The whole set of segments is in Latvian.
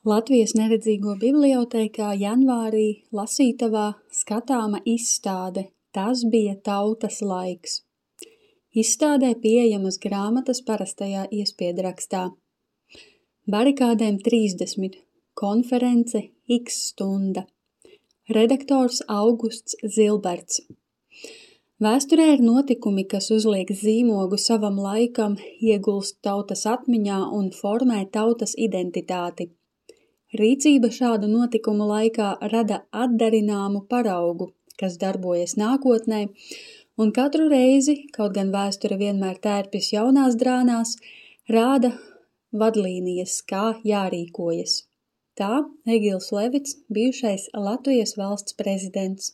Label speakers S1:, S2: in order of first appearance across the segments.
S1: Latvijas neredzīgo bibliotēkā janvārī lasītavā skatāma izstāde Tas bija tautas laiks. Izstādē pieejamas grāmatas parastajā iespiedrakstā. Barikādēm 30, konference X stunda. Redaktors Augusts Zilberts. Vēsturē ir notikumi, kas uzliek zīmogu savam laikam, iegulst tautas atmiņā un formē tautas identitāti. Rīcība šādu notikumu laikā rada atdarināmu paraugu, kas darbojas nākotnē, un katru reizi, kaut gan vēsture vienmēr tērpjas jaunās drānās, rāda vadlīnijas, kā jārīkojas. Tā Egils Levits, bijušais Latvijas valsts prezidents.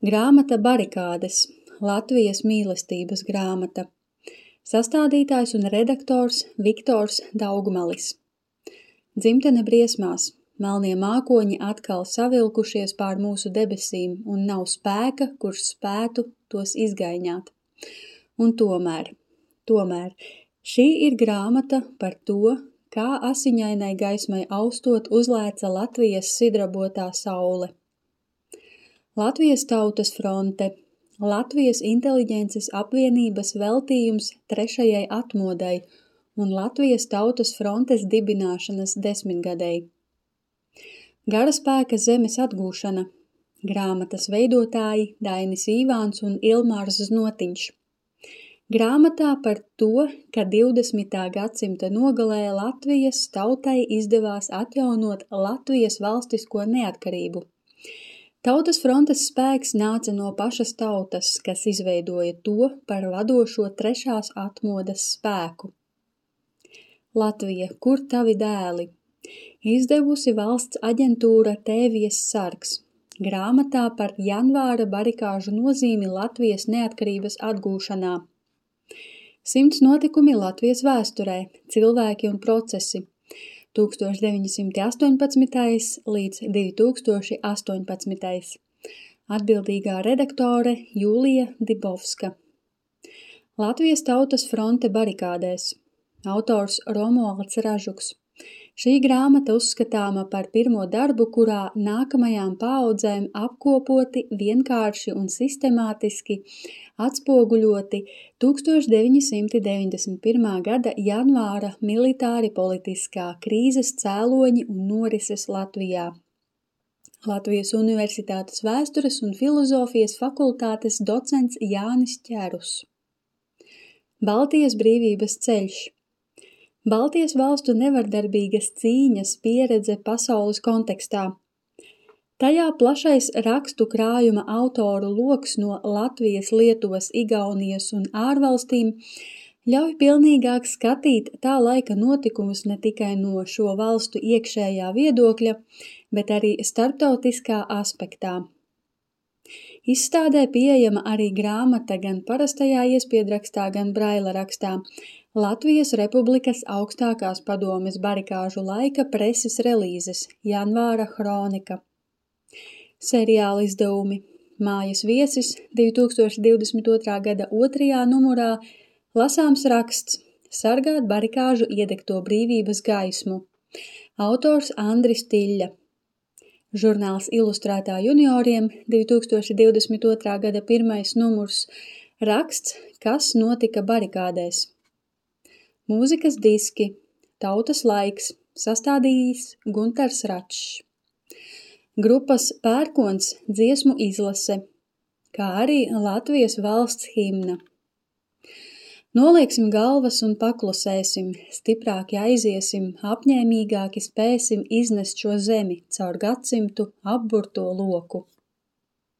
S1: Grāmata Barikādes, Latvijas mīlestības grāmata. Sastādītājs un redaktors Viktors Daugmalis. Dzimtene briesmās, melnie mākoņi atkal savilkušies pār mūsu debesīm un nav spēka, kurš spētu tos izgaiņāt. Un tomēr, šī ir grāmata par to, kā asiņainai gaismai austot uzlēca Latvijas sidrabotā saule. Latvijas tautas fronte, Latvijas inteliģences apvienības veltījums 3. atmodai un Latvijas tautas frontes dibināšanas 10-gadei. Garaspēka zemes atgūšana, grāmatas veidotāji Dainis Īvāns un Ilmārs Znotiņš. Grāmatā par to, ka 20. gadsimta nogalē Latvijas tautai izdevās atjaunot Latvijas valstisko neatkarību. Tautas frontes spēks nāca no pašas tautas, kas izveidoja to par vadošo 3. atmodas spēku. Latvija, kur tavi dēli? Izdevusi valsts aģentūra Tēvijas sargs. Grāmatā par janvāra barikāžu nozīmi Latvijas neatkarības atgūšanā. 100 notikumi Latvijas vēsturē, cilvēki un procesi. 1918. līdz 2018. Atbildīgā redaktore Jūlija Dibovska. Latvijas tautas fronte barikādēs. Autors Romualds Ražuks. Šī grāmata uzskatāma par pirmo darbu, kurā nākamajām paaudzēm apkopoti, vienkārši un sistemātiski atspoguļoti 1991. gada janvāra militāri politiskā krīzes cēloņi un norises Latvijā. Latvijas Universitātes vēstures un filozofijas fakultātes docents Jānis Ķerus. Baltijas brīvības ceļš. Baltijas valstu nevardarbīgas cīņas pieredze pasaules kontekstā. Tajā plašais rakstu krājuma autoru loks no Latvijas, Lietuvas, Igaunijas un ārvalstīm ļauj pilnīgāk skatīt tā laika notikumus ne tikai no šo valstu iekšējā viedokļa, bet arī starptautiskā aspektā. Izstādē pieejama arī grāmata gan parastajā iespiedrakstā, gan braila rakstā. Latvijas Republikas augstākās padomes barikāžu laika preses relīzes, janvāra hronika. Seriāla izdevumi. Mājas viesis 2022. gada 2. numurā lasāms raksts Sargāt barikāžu iedegto brīvības gaismu. Autors Andris Tiļļa. Žurnāls Ilustrētā junioriem 2022. gada 1. numurs. Raksts Kas notika barikādēs. Mūzikas diski, Tautas laiks, sastādījis Guntars Račs. Grupas Pērkons dziesmu izlase, kā arī Latvijas valsts himna. Nolieksim galvas un paklusēsim, stiprāki aiziesim, apņēmīgāki spēsim iznest šo zemi caur gadsimtu apburto loku.